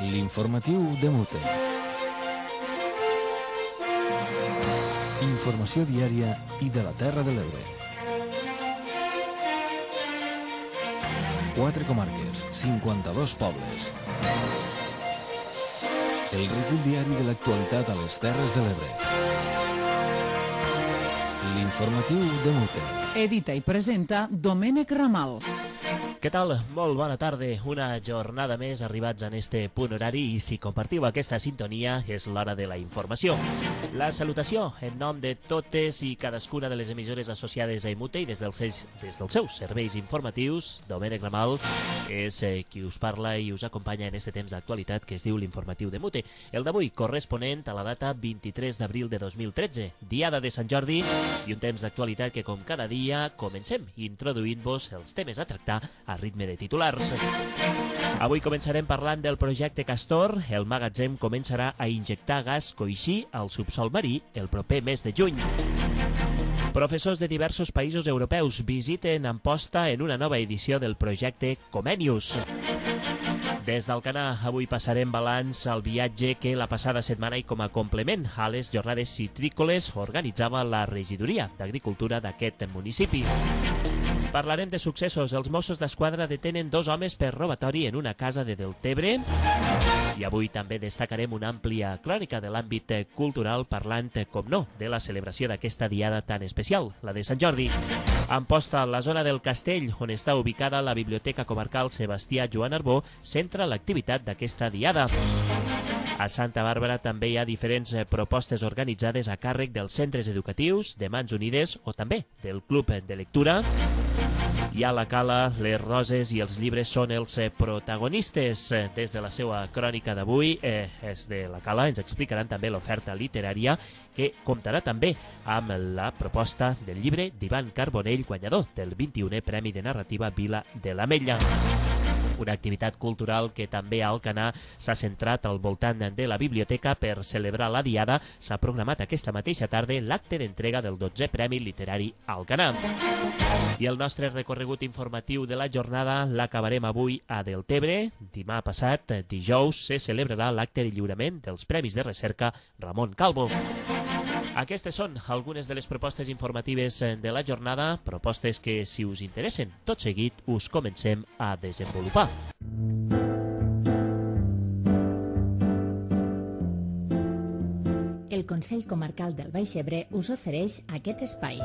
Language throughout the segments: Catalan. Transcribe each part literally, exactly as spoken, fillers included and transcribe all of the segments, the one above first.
L'informatiu de Mute. Informació diària i de la Terra de l'Ebre. Quatre comarques, cinquanta-dos pobles. El recull diari de l'actualitat a les Terres de l'Ebre. L'informatiu de Mute. Edita i presenta Domènec Ramal. Què tal? Molt bona tarda. Una jornada més arribats en este punt horari i si compartiu aquesta sintonia és l'hora de la informació. La salutació en nom de totes i cadascuna de les emissores associades a Mute i des dels, seus, des dels seus serveis informatius, Domènec Ramal és eh, qui us parla i us acompanya en este temps d'actualitat que es diu l'informatiu de Mute. El d'avui corresponent a la data vint-i-tres d'abril de dos mil tretze, diada de Sant Jordi i un temps d'actualitat que com cada dia comencem introduint-vos els temes a tractar a ritme de titulars. Avui començarem parlant del projecte Castor. El magatzem començarà a injectar gas coixí al subsol marí el proper mes de juny. Professors de diversos països europeus visiten Amposta en una nova edició del projecte Comenius. Des d'Alcanar, avui passarem balanç al viatge que la passada setmana i com a complement a les jornades citrícoles organitzava la regidoria d'Agricultura d'aquest municipi. Parlarem de successos. Els Mossos d'Esquadra detenen dos homes per robatori en una casa de Deltebre. I avui també destacarem una àmplia crònica de l'àmbit cultural parlant, com no, de la celebració d'aquesta diada tan especial, la de Sant Jordi. Amposta, la zona del Castell, on està ubicada la Biblioteca Comarcal Sebastià Joan Arbó, centra l'activitat d'aquesta diada. A Santa Bàrbara també hi ha diferents propostes organitzades a càrrec dels centres educatius, de Mans Unides o també del Club de Lectura. I a la Cala, les roses i els llibres són els protagonistes. Des de la seva crònica d'avui, eh, és de la Cala, ens explicaran també l'oferta literària que comptarà també amb la proposta del llibre d'Ivan Carbonell, guanyador del vint-i-unè Premi de Narrativa Vila de l'Ametlla. Una activitat cultural que també a Alcanar s'ha centrat al voltant de la biblioteca per celebrar la diada. S'ha programat aquesta mateixa tarda l'acte d'entrega del dotzè Premi Literari Alcanar. I el nostre recorregut informatiu de la jornada l'acabarem avui a Deltebre. Demà passat, dijous, se celebrarà l'acte de lliurament dels Premis de Recerca Ramon Calvo. Aquestes són algunes de les propostes informatives de la jornada, propostes que, si us interessen, tot seguit us comencem a desenvolupar. El Consell Comarcal del Baix Ebre us ofereix aquest espai.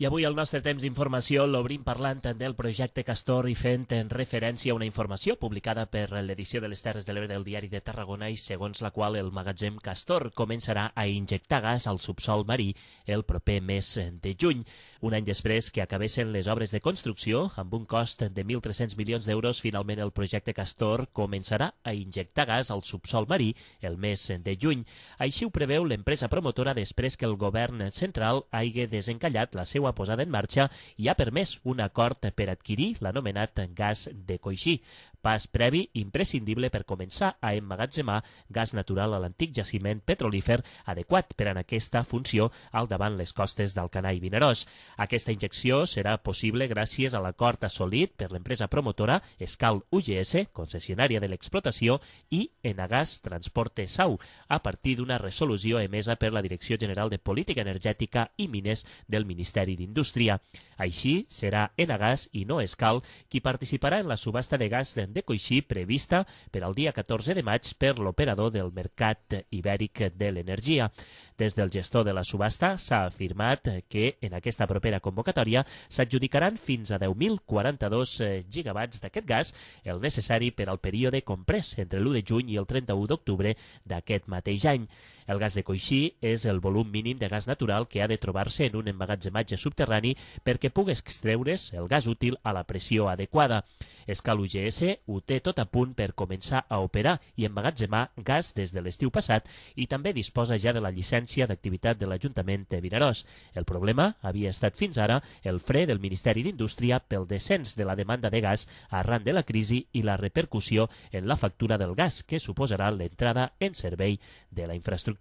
I avui el nostre temps d'informació l'obrim parlant del projecte Castor i fent en referència a una informació publicada per l'edició de les Terres de l'Ebre del Diari de Tarragona i segons la qual el magatzem Castor començarà a injectar gas al subsol marí el proper mes de juny. Un any després que acabessin les obres de construcció, amb un cost de mil tres-cents milions d'euros, finalment el projecte Castor començarà a injectar gas al subsol marí el mes de juny. Així ho preveu l'empresa promotora després que el govern central hagi desencallat la seva posada en marxa i ha permès un acord per adquirir l'anomenat gas de coixí, pas previ imprescindible per començar a emmagatzemar gas natural a l'antic jaciment petrolífer adequat per a aquesta funció al davant les costes d'Alcanar i Vinaròs. Aquesta injecció serà possible gràcies a l'acord assolit per l'empresa promotora Escal U G S, concessionària de l'explotació, i Enagas Transporte Sau, a partir d'una resolució emesa per la Direcció General de Política Energètica i Mines del Ministeri d'Indústria. Així, serà Enagas i no Escal qui participarà en la subhasta de gas de coixí prevista per al dia catorze de maig per l'operador del Mercat Ibèric de l'Energia. Des del gestor de la subhasta s'ha afirmat que en aquesta propera convocatòria s'adjudicaran fins a deu mil quaranta-dos gigawatts d'aquest gas, el necessari per al període comprès entre l'u de juny i el trenta-u d'octubre d'aquest mateix any. El gas de coixí és el volum mínim de gas natural que ha de trobar-se en un emmagatzematge subterrani perquè pugui extreure's el gas útil a la pressió adequada. Escal U G S ho té tot a punt per començar a operar i emmagatzemar gas des de l'estiu passat i també disposa ja de la llicència d'activitat de l'Ajuntament de Vinaròs. El problema havia estat fins ara el fre del Ministeri d'Indústria pel descens de la demanda de gas arran de la crisi i la repercussió en la factura del gas que suposarà l'entrada en servei de la infraestructura.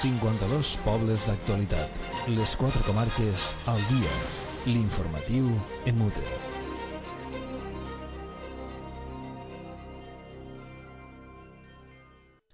cinquanta-dos pobles d'actualitat. Les quatre comarques al dia. L'informatiu Emute.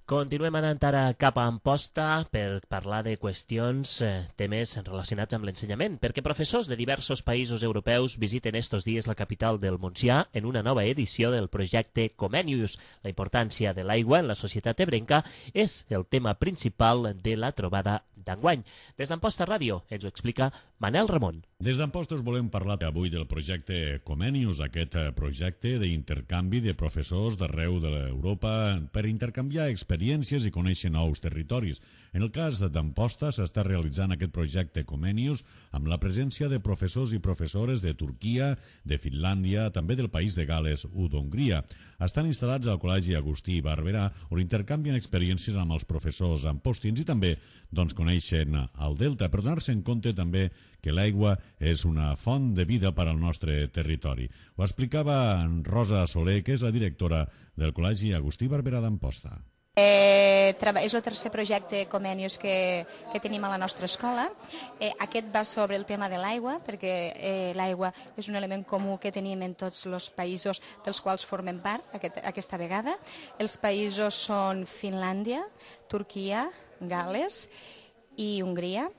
Continuem anant ara cap a Amposta per parlar de qüestions, eh, temes relacionats amb l'ensenyament, perquè professors de diversos països europeus visiten estos dies la capital del Montsià en una nova edició del projecte Comenius. La importància de l'aigua en la societat ebrenca és el tema principal de la trobada d'enguany. Des d'Amposta Ràdio ens ho explica Manel Ramon. Des d'Amposta us volem parlar avui del projecte Comenius, aquest projecte d'intercanvi de professors d'arreu de l'Europa per intercanviar experiències experiències i conèixer nous territoris. En el cas d'Amposta s'està realitzant aquest projecte Comenius amb la presència de professors i professores de Turquia, de Finlàndia, també del país de Gales o d'Hongria. Estan instal·lats al Col·legi Agustí Barberà, on intercanvien experiències amb els professors ampostins i també doncs, coneixen el Delta, per donar-se en compte també que l'aigua és una font de vida per al nostre territori. Ho explicava Rosa Soler, que és la directora del Col·legi Agustí Barberà d'Amposta. Eh, és el tercer projecte Comenius que, que tenim a la nostra escola. Eh, aquest va sobre el tema de l'aigua, perquè eh, l'aigua és un element comú que tenim en tots els països dels quals formem part aquest, aquesta vegada. Els països són Finlàndia, Turquia, Gales i Hongria.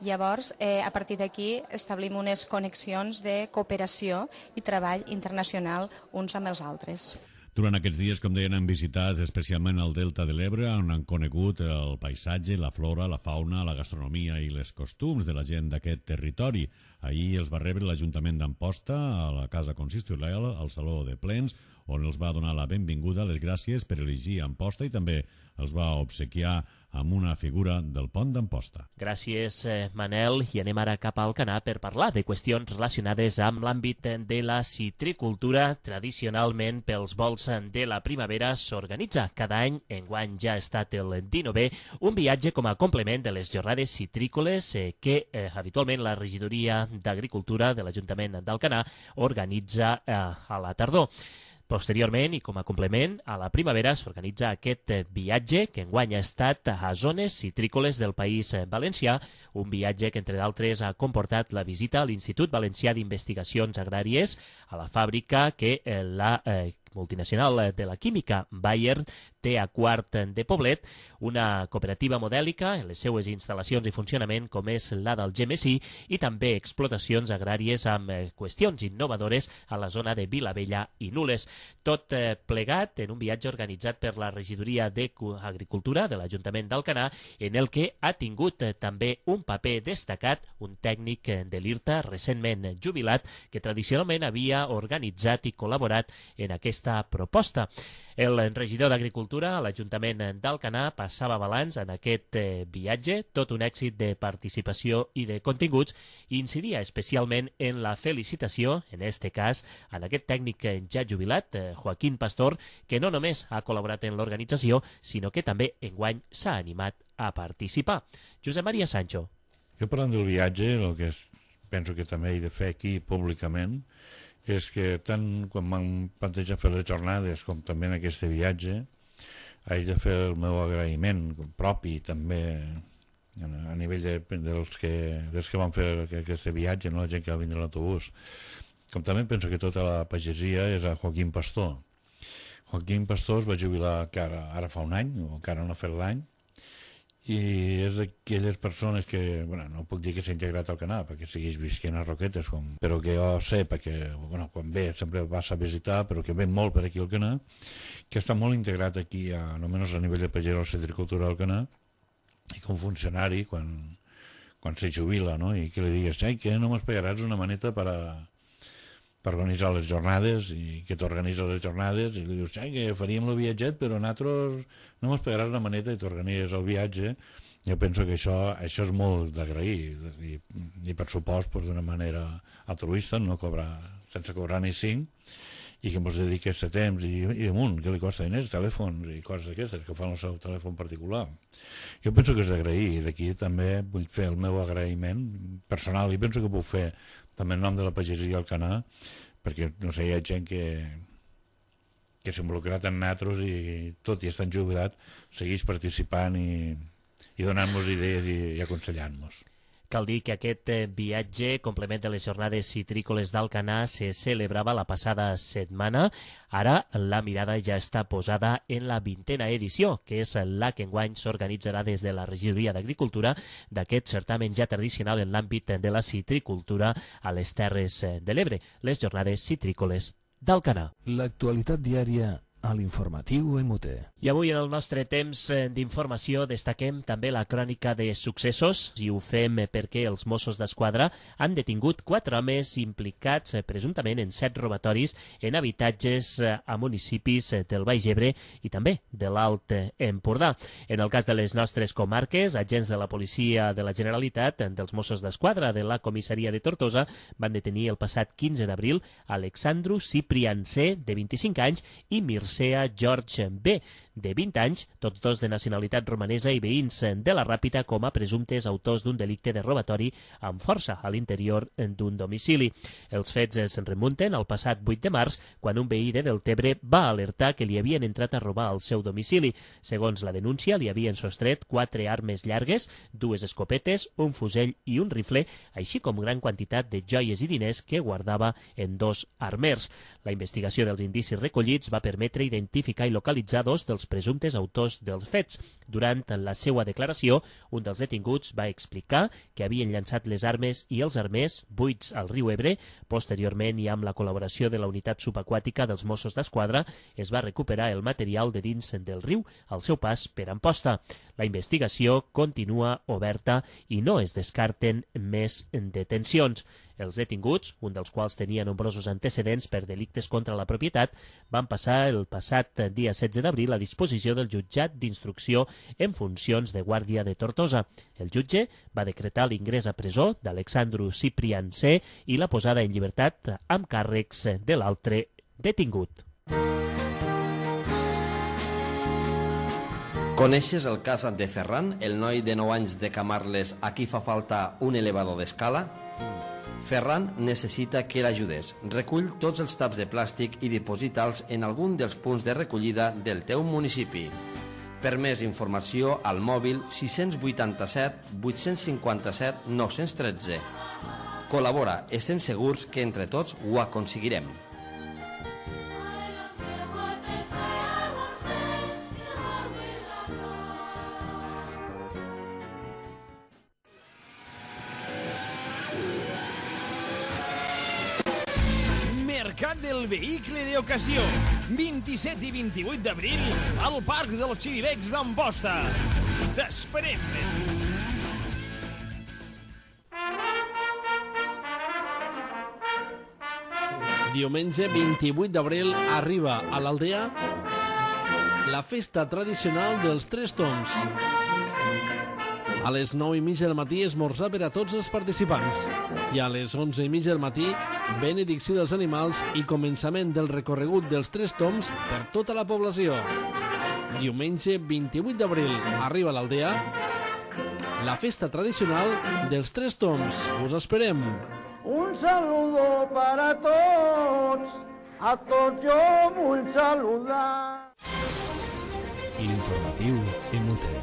Llavors, eh, a partir d'aquí establim unes connexions de cooperació i treball internacional uns amb els altres. Durant aquests dies, com deien, han visitat especialment el Delta de l'Ebre, on han conegut el paisatge, la flora, la fauna, la gastronomia i les costums de la gent d'aquest territori. Ahir els va rebre l'Ajuntament d'Amposta a la Casa Consistorial, al Saló de Plens, on els va donar la benvinguda, les gràcies per elegir Amposta i també els va obsequiar amb una figura del pont d'Amposta. Gràcies, eh, Manel, i anem ara cap a Alcanar per parlar de qüestions relacionades amb l'àmbit de la citricultura. Tradicionalment, pels vols de la primavera s'organitza cada any, enguany ja ha estat el dinovè, un viatge com a complement de les jornades citrícoles eh, que eh, habitualment la regidoria d'Agricultura de l'Ajuntament d'Alcanar organitza eh, a la tardor. Posteriorment, i com a complement, a la primavera s'organitza aquest viatge que enguany ha estat a zones citrícoles del País Valencià, un viatge que, entre d'altres, ha comportat la visita a l'Institut Valencià d'Investigacions Agràries, a la fàbrica que eh, la eh, multinacional de la química Bayer té a Quart de Poblet, una cooperativa modèlica en les seues instal·lacions i funcionament com és la del Gemesí i també explotacions agràries amb qüestions innovadores a la zona de Vilavella i Nules. Tot plegat en un viatge organitzat per la regidoria d'Agricultura de l'Ajuntament d'Alcanar, en el que ha tingut també un paper destacat un tècnic de l'IRTA recentment jubilat que tradicionalment havia organitzat i col·laborat en aquesta proposta. El regidor d'Agricultura a l'Ajuntament d'Alcanar passava balanç en aquest viatge, tot un èxit de participació i de continguts, i incidia especialment en la felicitació, en este cas, en aquest tècnic ja jubilat, Joaquín Pastor, que no només ha col·laborat en l'organització, sinó que també enguany s'ha animat a participar. Josep Maria Sancho. Jo parlant del viatge, el que és, penso que també he de fer aquí públicament, és que tant quan m'han plantejat fer les jornades com també en aquest viatge he de fer el meu agraïment propi també a nivell de, dels, que, dels que van fer aquest viatge, no? La gent que va vindre a l'autobús, com també penso que tota la pagesia és a Joaquín Pastor. Joaquín Pastor es va jubilar ara, ara fa un any, o encara no ha fet l'any, i és d'aquelles persones que, bueno, no puc dir que s'ha integrat al Canà perquè segueix visquent a Roquetes, com, però que jo sé, perquè bueno, quan ve sempre vas a visitar, però que ve molt per aquí al Canà, que està molt integrat aquí, a, almenys a nivell de pagès o citricultura al Canà, i com funcionari, quan, quan se jubila, no? I que li digues, ai, que no m'espagaràs una maneta per a per organitzar les jornades, i que t'organitza les jornades, i li dius, ai, que faríem el viatget, però nosaltres no mos pagaràs una maneta i t'organitzes el viatge. Jo penso que això, això és molt d'agrair, i, i per supost pues, d'una manera altruista, no cobrar, sense cobrar ni cinc, i que ens dediqués a temps i, i amunt, que li costa diners, telèfons i coses d'aquestes, que fan el seu telèfon particular. Jo penso que és d'agrair, i d'aquí també vull fer el meu agraïment personal, i penso que puc fer també en nom de la pagesia al Canà, perquè, no sé, hi ha gent que, que s'ha involucrat en nosaltres i tot i estan jubilat, segueix participant i, i donant-nos idees i, i aconsellant-nos. Cal dir que aquest viatge, complement de les jornades citrícoles d'Alcanar, se celebrava la passada setmana. Ara la mirada ja està posada en la vintena edició, que és la que enguany s'organitzarà des de la Regidoria d'Agricultura d'aquest certamen ja tradicional en l'àmbit de la citricultura a les Terres de l'Ebre, les jornades citrícoles d'Alcanar. L'actualitat diària a l'informatiu M T. I avui en el nostre temps d'informació destaquem també la crònica de successos i ho fem perquè els Mossos d'Esquadra han detingut quatre homes implicats presumptament en set robatoris en habitatges a municipis del Baix Ebre i també de l'Alt Empordà. En el cas de les nostres comarques, agents de la Policia de la Generalitat, dels Mossos d'Esquadra de la Comissaria de Tortosa, van detenir el passat quinze d'abril Alexandru Ciprian C, de vint-i-cinc anys, i Mircea George B, de vint anys, tots dos de nacionalitat romanesa i veïns de la Ràpita, com a presumptes autors d'un delicte de robatori amb força a l'interior d'un domicili. Els fets es remunten al passat vuit de març, quan un veí de Deltebre va alertar que li havien entrat a robar al seu domicili. Segons la denúncia, li havien sostret quatre armes llargues, dues escopetes, un fusell i un rifle, així com gran quantitat de joies i diners que guardava en dos armers. La investigació dels indicis recollits va permetre identificar i localitzar dos dels presumptes autors dels fets. Durant la seva declaració, un dels detinguts va explicar que havien llançat les armes i els armers buits al riu Ebre. Posteriorment, i amb la col·laboració de la unitat subaquàtica dels Mossos d'Esquadra, es va recuperar el material de dins del riu al seu pas per Amposta. La investigació continua oberta i no es descarten més detencions. Els detinguts, un dels quals tenia nombrosos antecedents per delictes contra la propietat, van passar el passat dia setze d'abril a disposició del jutjat d'instrucció en funcions de guàrdia de Tortosa. El jutge va decretar l'ingrés a presó d'Alexandru Ciprian C i la posada en llibertat amb càrrecs de l'altre detingut. Coneixes el cas de Ferran, el noi de nou anys de Camarles a qui fa falta un elevador d'escala? Ferran necessita que l'ajudes. Recull tots els taps de plàstic i diposita'ls en algun dels punts de recollida del teu municipi. Per més informació, al mòbil sis vuitanta-set vuit cinquanta-set nou tretze. Col·labora, estem segurs que entre tots ho aconseguirem. Mercat del vehicle d'ocasió, vint-i-set i vint-i-vuit d'abril al Parc dels Xiribecs d'Amposta. T'esperem! Diumenge vint-i-vuit d'abril arriba a l'Aldea la festa tradicional dels Tres Tombs. A les nou i mitja del matí esmorzar per a tots els participants. I a les onze i mitja del matí, benedicció dels animals i començament del recorregut dels Tres Tombs per tota la població. Diumenge vint-i-vuit d'abril arriba a l'Aldea la festa tradicional dels Tres Tombs. Us esperem. Un saludo para tots, a tots jo vull saludar. L'informatiu M T.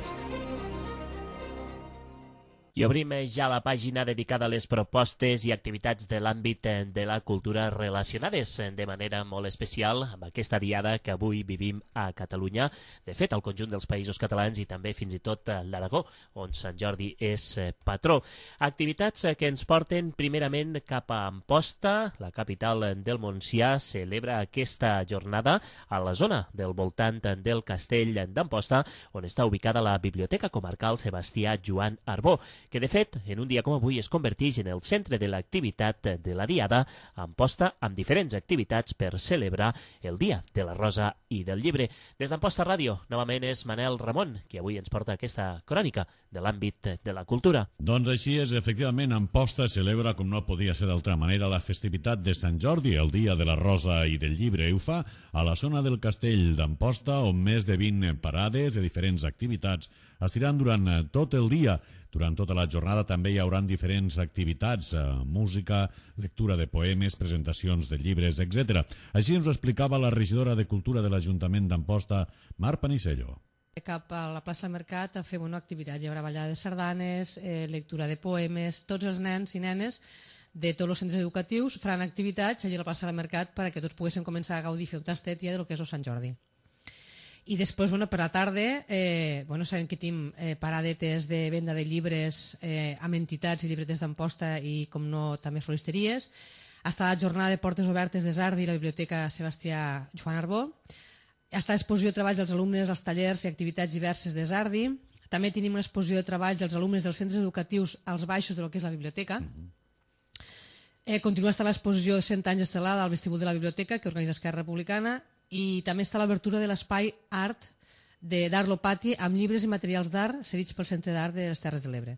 I obrim ja la pàgina dedicada a les propostes i activitats de l'àmbit de la cultura relacionades de manera molt especial amb aquesta diada que avui vivim a Catalunya. De fet, al conjunt dels països catalans i també fins i tot a l'Aragó, on Sant Jordi és patró. Activitats que ens porten primerament cap a Amposta, la capital del Montsià. Celebra aquesta jornada a la zona del voltant del castell d'Amposta, on està ubicada la Biblioteca Comarcal Sebastià Joan Arbó, que de fet, en un dia com avui es converteix en el centre de l'activitat de la Diada, a Amposta, amb diferents activitats per celebrar el Dia de la Rosa i del Llibre. Des d'Amposta Ràdio, novament és Manel Ramon, qui avui ens porta aquesta crònica de l'àmbit de la cultura. Doncs així és, efectivament, Amposta celebra, com no podia ser d'altra manera, la festivitat de Sant Jordi, el Dia de la Rosa i del Llibre. I ho fa a la zona del castell d'Amposta, on més de vint parades de diferents activitats estiran durant tot el dia. Durant tota la jornada també hi haurà diferents activitats, eh, música, lectura de poemes, presentacions de llibres, etcètera. Així ens ho explicava la regidora de Cultura de l'Ajuntament d'Amposta, Mar Panisello. Cap a la plaça del Mercat a fer una activitat. Hi haurà ballada de sardanes, eh, lectura de poemes, tots els nens i nenes de tots els centres educatius faran activitats allà a la plaça del Mercat perquè tots poguéssim començar a gaudir i fer un tastet ja del que és el Sant Jordi. I després, bueno, per la tarda, eh, bueno, sabem que tenim eh, paradetes de venda de llibres eh, amb entitats i llibretes d'Amposta i, com no, també floristeries. Està la jornada de portes obertes de Sardi i la Biblioteca Sebastià Joan Arbó. Està l'exposició de treballs dels alumnes, els tallers i activitats diverses de Sardi. També tenim una exposició de treballs dels alumnes dels centres educatius als baixos del que és la biblioteca. Eh, continua estar l'exposició de cent anys estelada al vestíbul de la biblioteca que organitza Esquerra Republicana i també està l'obertura de l'espai art d'Art Lopati amb llibres i materials d'art cedits pel Centre d'Art de les Terres de l'Ebre.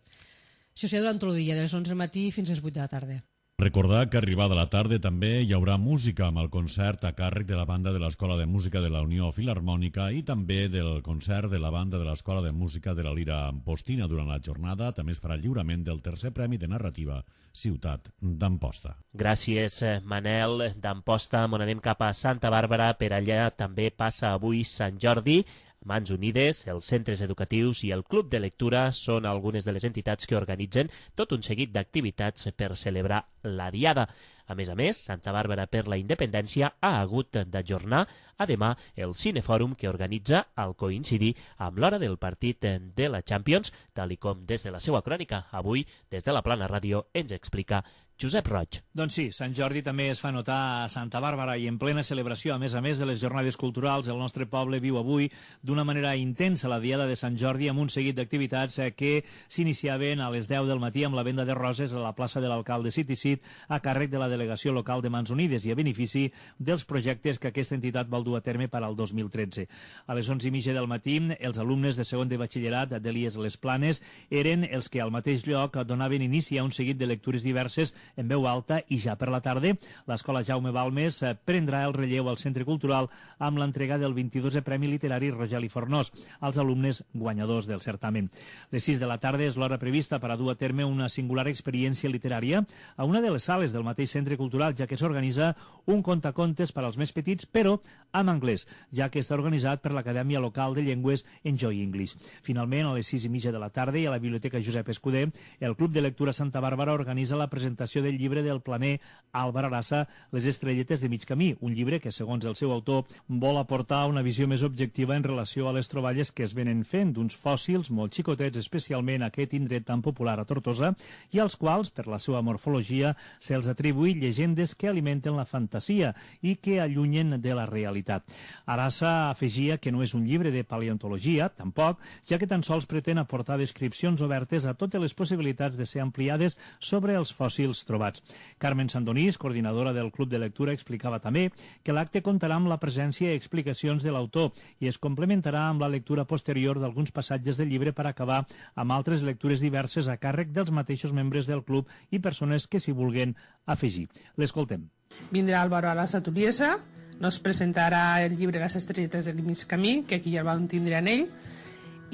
Això serà durant tot el dia, de les onze del matí fins a les vuit de la tarda. Recordar que arribada la tarda també hi haurà música amb el concert a càrrec de la banda de l'Escola de Música de la Unió Filharmònica i també del concert de la banda de l'Escola de Música de la Lira Ampostina. Durant la jornada també es farà el lliurament del tercer Premi de Narrativa Ciutat d'Amposta. Gràcies, Manel d'Amposta. On anem cap a Santa Bàrbara. Per allà també passa avui Sant Jordi. Mans Unides, els centres educatius i el Club de Lectura són algunes de les entitats que organitzen tot un seguit d'activitats per celebrar la Diada. A més a més, Santa Bàrbara per la Independència ha hagut d'ajornar a demà el Cinefòrum que organitza al coincidir amb l'hora del partit de la Champions, tal com des de la seva crònica. Avui, des de la Plana Ràdio, ens explica Josep Roig. Doncs sí, Sant Jordi també es fa notar a Santa Bàrbara i en plena celebració, a més a més de les jornades culturals, el nostre poble viu avui d'una manera intensa la Diada de Sant Jordi amb un seguit d'activitats que s'iniciaven a les deu del matí amb la venda de roses a la plaça de l'alcalde Citisit a càrrec de la delegació local de Mans Unides i a benefici dels projectes que aquesta entitat vol dur a terme per al dos mil tretze. A les onze i mitja del matí, els alumnes de segon de batxillerat d'Elies Les Planes eren els que al mateix lloc donaven inici a un seguit de lectures diverses en veu alta i ja per la tarda l'Escola Jaume Balmes prendrà el relleu al Centre Cultural amb l'entrega del vint-i-dosè Premi Literari Rogeli Fornós als alumnes guanyadors del certamen. Les sis de la tarda és l'hora prevista per a dur a terme una singular experiència literària a una de les sales del mateix Centre Cultural, ja que s'organitza un contacontes per als més petits, però en anglès, ja que està organitzat per l'Acadèmia Local de Llengües Enjoy English. Finalment, a les sis i mitja de la tarda i a la Biblioteca Josep Escuder, el Club de Lectura Santa Bàrbara organitza la presentació del llibre del planer Álvar Arasa, Les estrelletes de mig camí, un llibre que, segons el seu autor, vol aportar una visió més objectiva en relació a les troballes que es venen fent d'uns fòssils molt xicotets, especialment aquest indret tan popular a Tortosa, i als quals, per la seva morfologia, se'ls atribuï llegendes que alimenten la fantasia i que allunyen de la realitat. Arasa afegia que no és un llibre de paleontologia, tampoc, ja que tan sols pretén aportar descripcions obertes a totes les possibilitats de ser ampliades sobre els fòssils trobats. Carmen Sandonís, coordinadora del Club de Lectura, explicava també que l'acte comptarà amb la presència i explicacions de l'autor i es complementarà amb la lectura posterior d'alguns passatges del llibre per acabar amb altres lectures diverses a càrrec dels mateixos membres del club i persones que s'hi vulguen afegir. L'escoltem. Vindrà Álvaro Arasa Tuliesa, nos presentarà el llibre Les estrelletes del mig camí, que aquí ja el vam tindre en ell,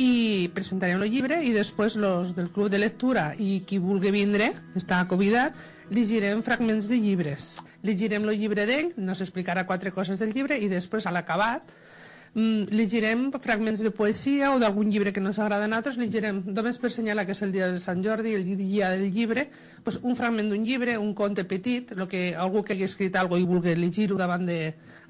i presentarem el llibre i després los del club de lectura i qui vulgui vindre, està convidat, llegirem fragments de llibres. Llegirem el llibre d'ell, nos explicarà quatre coses del llibre i després, a l'acabat, llegirem fragments de poesia o d'algun llibre que nos agrada a nosaltres, llegirem, només per assenyalar que és el dia de Sant Jordi, el dia del llibre, pues un fragment d'un llibre, un conte petit, lo que algú que hagi escrit alguna cosa i vulgui llegir-ho davant de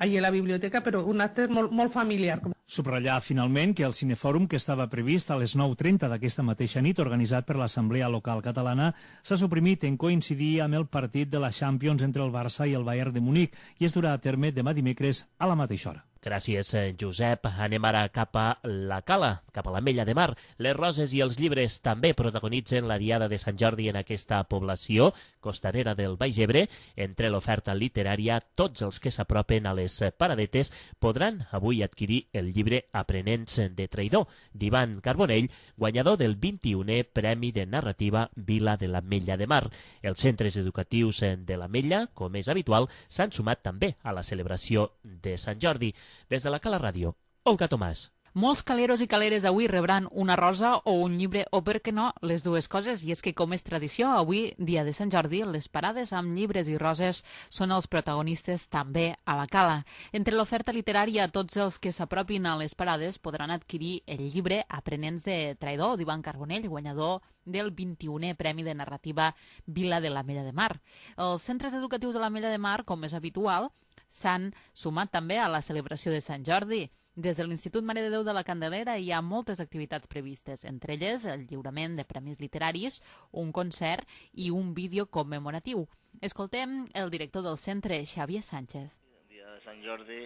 allà a la biblioteca, però un acte molt, molt familiar. Subratllar finalment que el Cinefòrum, que estava previst a les nou trenta d'aquesta mateixa nit, organitzat per l'Assemblea Local Catalana, s'ha suprimit en coincidir amb el partit de la Champions entre el Barça i el Bayern de Munic i es durà a terme demà dimecres a la mateixa hora. Gràcies, Josep. Anem ara cap a la Cala, cap a l'Ametlla de Mar. Les roses i els llibres també protagonitzen la Diada de Sant Jordi en aquesta població costanera del Baix Ebre. Entre l'oferta literària, tots els que s'apropen a les paradetes podran avui adquirir el llibre Aprenents de traïdor, d'Ivan Carbonell, guanyador del vint-i-unè Premi de Narrativa Vila de l'Ametlla de Mar. Els centres educatius de l'Ametlla, com és habitual, s'han sumat també a la celebració de Sant Jordi. Des de la Cala Ràdio, Olga Tomàs. Molts caleros i caleres avui rebran una rosa o un llibre, o per què no, les dues coses. I és que, com és tradició, avui, dia de Sant Jordi, les parades amb llibres i roses són els protagonistes també a la Cala. Entre l'oferta literària, tots els que s'apropin a les parades podran adquirir el llibre Aprenents de Traïdor, d'Ivan Carbonell, guanyador del vint-i-unè Premi de Narrativa Vila de l'Ametlla de Mar. Els centres educatius de l'Ametlla de Mar, com és habitual, s'han sumat també a la celebració de Sant Jordi. Des de l'Institut Mare de Déu de la Candelera hi ha moltes activitats previstes, entre elles el lliurament de premis literaris, un concert i un vídeo commemoratiu. Escoltem el director del centre, Xavier Sánchez. El dia de Sant Jordi,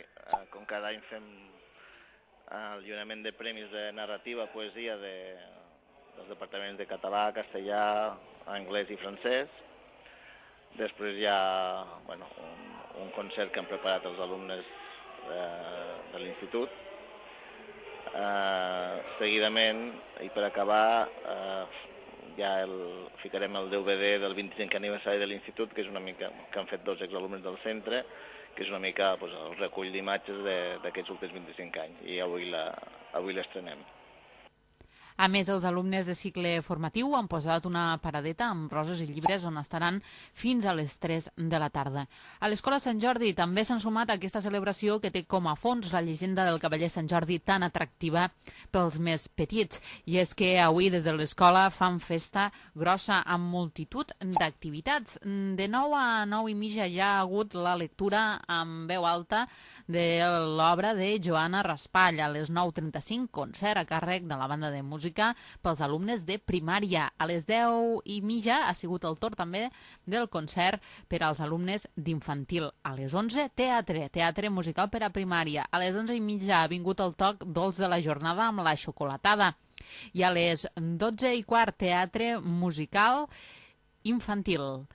com cada any fem el lliurament de premis de narrativa, poesia de, dels departaments de català, castellà, anglès i francès. Després hi ha bueno, un, un concert que han preparat els alumnes de, de l'institut. Uh, seguidament, i per acabar, uh, ja el, ficarem el D V D del vint-i-cinquè aniversari de l'institut, que és una mica que han fet dos exalumnes del centre, que és una mica pues, el recull d'imatges d'aquests últims vint-i-cinc anys, i avui la, avui l'estrenem. A més, els alumnes de cicle formatiu han posat una paradeta amb roses i llibres on estaran fins a les tres de la tarda. A l'Escola Sant Jordi també s'han sumat a aquesta celebració que té com a fons la llegenda del cavaller Sant Jordi tan atractiva pels més petits. I és que avui des de l'escola fan festa grossa amb multitud d'activitats. De nou a nou i mitja ja ha hagut la lectura amb veu alta de l'obra de Joana Raspall. A les nou trenta-cinc, concert a càrrec de la banda de música pels alumnes de primària. A les deu i mitja ha sigut el torn també del concert per als alumnes d'infantil. A les onze, teatre, teatre musical per a primària. A les onze i mitja ha vingut el toc dolç de la jornada amb la xocolatada. I a les dotze i quart, teatre musical infantil.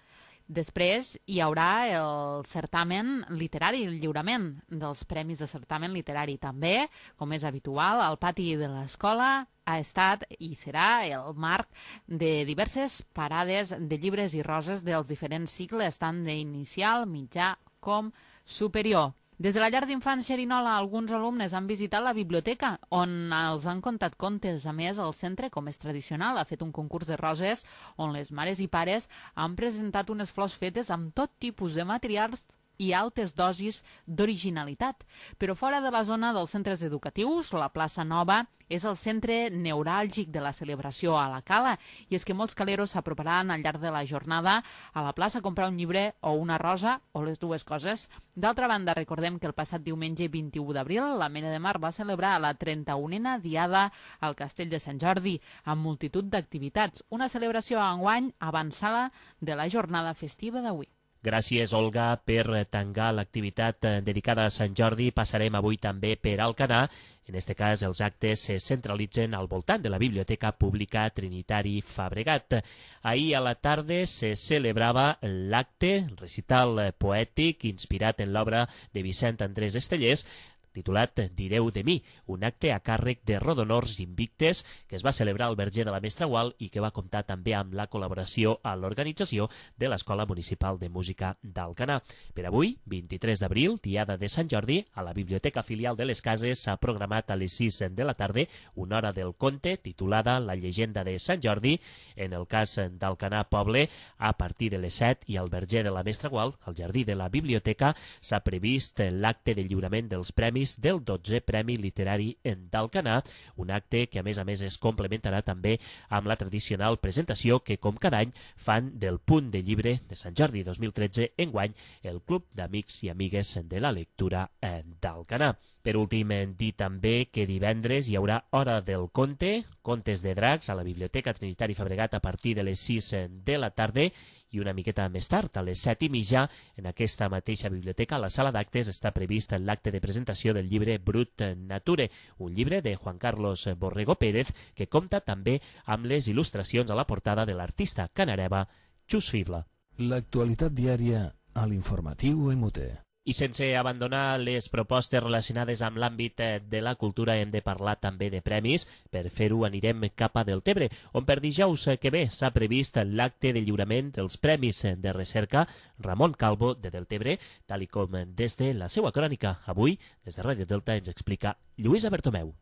Després hi haurà el certamen literari, el lliurament dels premis de certamen literari. També, com és habitual, al pati de l'escola ha estat i serà el marc de diverses parades de llibres i roses dels diferents cicles, tant d'inicial, mitjà com superior. Des de la llar d'infants Xerinola, alguns alumnes han visitat la biblioteca, on els han contat contes. A més, el centre, com és tradicional, ha fet un concurs de roses on les mares i pares han presentat unes flors fetes amb tot tipus de materials i altes dosis d'originalitat. Però fora de la zona dels centres educatius, la plaça Nova és el centre neuràlgic de la celebració a la Cala, i és que molts caleros s'aproparan al llarg de la jornada a la plaça a comprar un llibre o una rosa, o les dues coses. D'altra banda, recordem que el passat diumenge vint-i-u d'abril l'Ametlla de Mar va celebrar la trenta-unena diada al Castell de Sant Jordi, amb multitud d'activitats, una celebració enguany avançada de la jornada festiva d'avui. Gràcies, Olga, per tancar l'activitat dedicada a Sant Jordi. Passarem avui també per Alcanar. En aquest cas, els actes se centralitzen al voltant de la Biblioteca Pública Trinitari Fabregat. Ahir a la tarda se celebrava l'acte, recital poètic inspirat en l'obra de Vicent Andrés Estellés, titulat Direu de mi, un acte a càrrec de Rodonors Invictes que es va celebrar al Verger de la Mestra Gual i que va comptar també amb la col·laboració a l'organització de l'Escola Municipal de Música d'Alcanar. Per avui, vint-i-tres d'abril, diada de Sant Jordi, a la Biblioteca Filial de les Cases s'ha programat a les sis de la tarda una hora del conte titulada La llegenda de Sant Jordi. En el cas d'Alcanar Poble, a partir de les set, i al Verger de la Mestra Gual, al jardí de la biblioteca, s'ha previst l'acte de lliurament dels premis del dotzè Premi Literari d'Alcanar, un acte que a més a més es complementarà també amb la tradicional presentació que com cada any fan del Punt de Llibre de Sant Jordi dos mil tretze, enguany el Club d'Amics i Amigues de la Lectura d'Alcanar. Per últim, dir també que divendres hi haurà Hora del Conte, Contes de Dracs, a la Biblioteca Trinitari Fabregat a partir de les sis de la tarda, i una miqueta més tard, a les set i mitja, en aquesta mateixa biblioteca, a la sala d'actes, està previst l'acte de presentació del llibre Brut Nature, un llibre de Juan Carlos Borrego Pérez, que compta també amb les il·lustracions a la portada de l'artista canareva Xus Fibla. L'actualitat diària a l'informatiu M U T. I sense abandonar les propostes relacionades amb l'àmbit de la cultura, hem de parlar també de premis. Per fer-ho anirem cap a Deltebre, on per dijous que ve s'ha previst l'acte de lliurament dels Premis de Recerca Ramon Calvo de Deltebre, tal i com des de la seva crònica. Avui, des de Ràdio Delta, ens explica Lluïsa Bertomeu.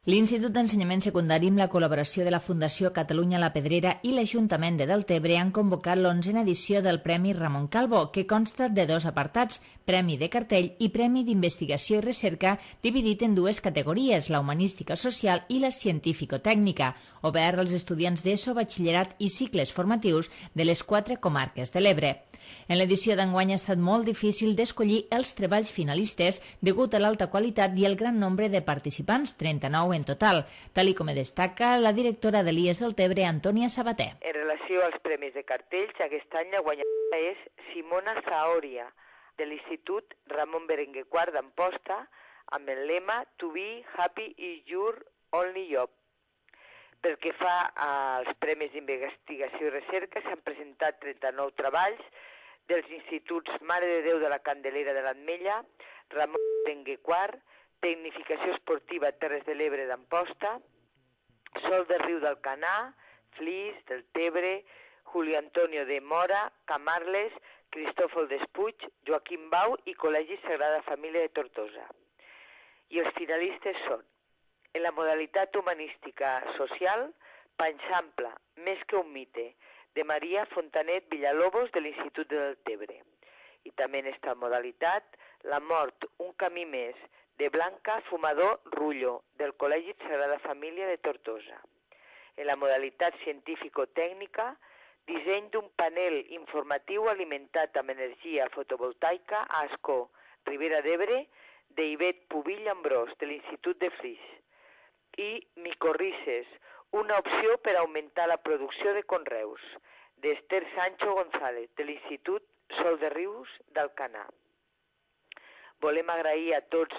L'Institut d'Ensenyament Secundari, amb la col·laboració de la Fundació Catalunya La Pedrera i l'Ajuntament de Deltebre, han convocat l'onzena edició del Premi Ramon Calvo, que consta de dos apartats, Premi de Cartell i Premi d'Investigació i Recerca, dividit en dues categories, la humanística social i la científico-tècnica, obert als estudiants d'ESO, batxillerat i cicles formatius de les quatre comarques de l'Ebre. En l'edició d'enguany ha estat molt difícil d'escollir els treballs finalistes degut a l'alta qualitat i el gran nombre de participants, trenta-nou en total, tal i com destaca la directora de l'I E S Deltebre, Antònia Sabater. En relació als premis de cartells, aquest any la guanyadora és Simona Zaoria, de l'Institut Ramon Berenguer quart d'Amposta, amb el lema To be happy is your only job. Pel que fa als premis d'investigació i recerca, s'han presentat trenta-nou treballs dels instituts Mare de Déu de la Candelera de l'Ametlla, Ramon Berenguer quart, Tecnificació Esportiva Terres de l'Ebre d'Amposta, Sol del Riu d'Alcanar, Flix, del Tebre, Julio Antonio de Mora, Camarles, Cristòfol Despuig, Joaquim Bau i Col·legi Sagrada Família de Tortosa. I els finalistes són, en la modalitat humanística social, Panxample, més que un mite, de Maria Fontanet Villalobos de l'Institut de Deltebre. I també en esta modalitat, La mort, un camí més, de Blanca Fumador Rullo, del Col·legi Sagrada Família de Tortosa. En la modalitat científico-tècnica, disseny d'un panel informatiu alimentat amb energia fotovoltaica a Ascó, Ribera d'Ebre, d'Ivet Pubill Ambrós, de l'Institut de Flix. I micorrices, una opció per augmentar la producció de conreus, d'Esther Sancho González, de l'Institut Sol de Rius d'Alcanar. Volem agrair a tots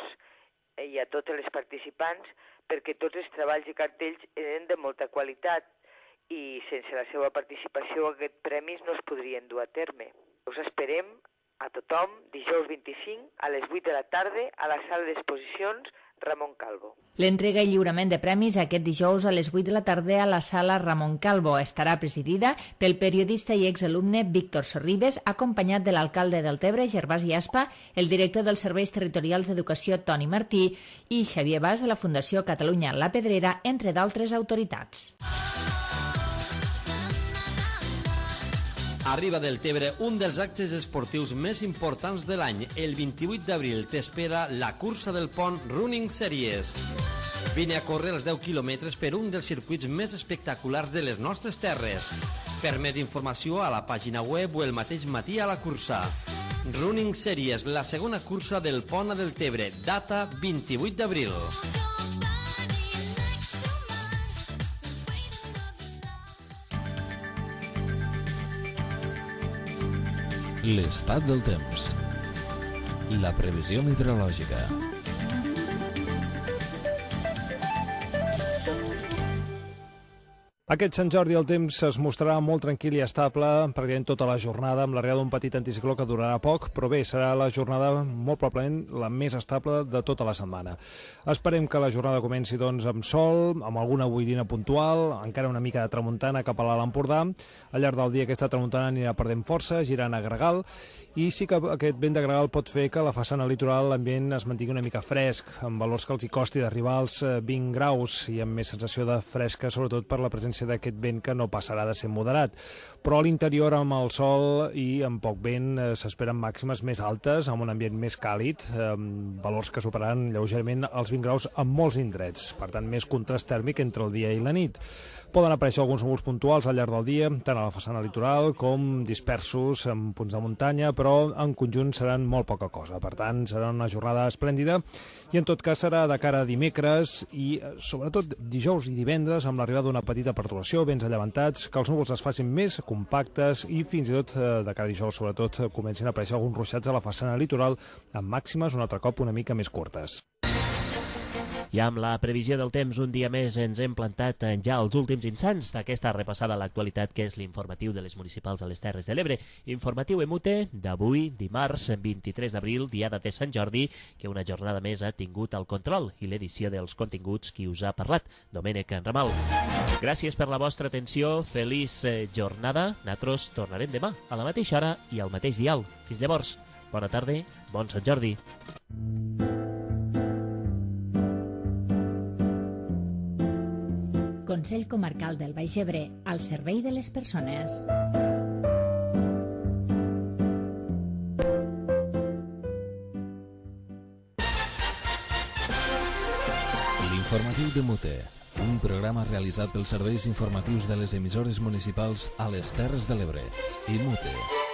i a totes les participants perquè tots els treballs i cartells eren de molta qualitat i sense la seva participació aquests premis no es podrien dur a terme. Us esperem a tothom dijous vint-i-cinc a les vuit de la tarda a la sala d'exposicions Ramon Calvo. L'entrega i lliurament de premis aquest dijous a les vuit de la tarda a la sala Ramon Calvo estarà presidida pel periodista i exalumne Víctor Sorribes, acompanyat de l'alcalde del Tebre, Gervasi Aspa, el director dels Serveis Territorials d'Educació, Toni Martí, i Xavier Bas de la Fundació Catalunya La Pedrera, entre d'altres autoritats. Arriba del Tebre un dels actes esportius més importants de l'any. El vint-i-vuit d'abril t'espera la cursa del pont Running Series. Vine a córrer els deu quilòmetres per un dels circuits més espectaculars de les nostres terres. Per més informació a la pàgina web o el mateix matí a la cursa. Running Series, la segona cursa del pont del Tebre, data vint-i-vuit d'abril. L'estat del temps. La previsió meteorològica. Aquest Sant Jordi el temps es mostrarà molt tranquil i estable pràcticament tota la jornada, amb l'arribada d'un petit anticicló que durarà poc, però bé, serà la jornada molt probablement la més estable de tota la setmana. Esperem que la jornada comenci doncs amb sol, amb alguna boirina puntual, encara una mica de tramuntana cap a l'Alt Empordà. Al llarg del dia aquesta tramuntana anirà perdent força, girant a gregal, i sí que aquest vent de gregal pot fer que a la façana litoral l'ambient es mantingui una mica fresc, amb valors que els hi costi d'arribar als vint graus i amb més sensació de fresca, sobretot per la presència d'aquest vent que no passarà de ser moderat. Però a l'interior, amb el sol i amb poc vent, s'esperen màximes més altes, amb un ambient més càlid, amb valors que superaran lleugerament els vint graus en molts indrets. Per tant, més contrast tèrmic entre el dia i la nit. Poden aparèixer alguns núvols puntuals al llarg del dia, tant a la façana litoral com dispersos en punts de muntanya, però en conjunt seran molt poca cosa. Per tant, serà una jornada esplèndida i en tot cas serà de cara a dimecres i sobretot dijous i divendres amb l'arribada d'una petita perturbació, vents allevantats, que els núvols es facin més compactes i fins i tot de cara a dijous sobretot comencin a aparèixer alguns ruixats a la façana litoral amb màximes un altre cop una mica més curtes. I amb la previsió del temps, un dia més ens hem plantat ja als últims instants d'aquesta repassada a l'actualitat que és l'informatiu de les municipals a les Terres de l'Ebre. Informatiu Emute d'avui, dimarts vint-i-tres d'abril, diada de Sant Jordi, que una jornada més ha tingut el control i l'edició dels continguts qui us ha parlat, Domènec Ramal. Gràcies per la vostra atenció, feliç jornada. Nosaltres tornarem demà a la mateixa hora i al mateix dial. Fins llavors, bona tarda, bon Sant Jordi. Consell Comarcal del Baix Ebre, al servei de les persones. L'informatiu de Mute, un programa realitzat pels serveis informatius de les emissores municipals a les Terres de l'Ebre i Mute.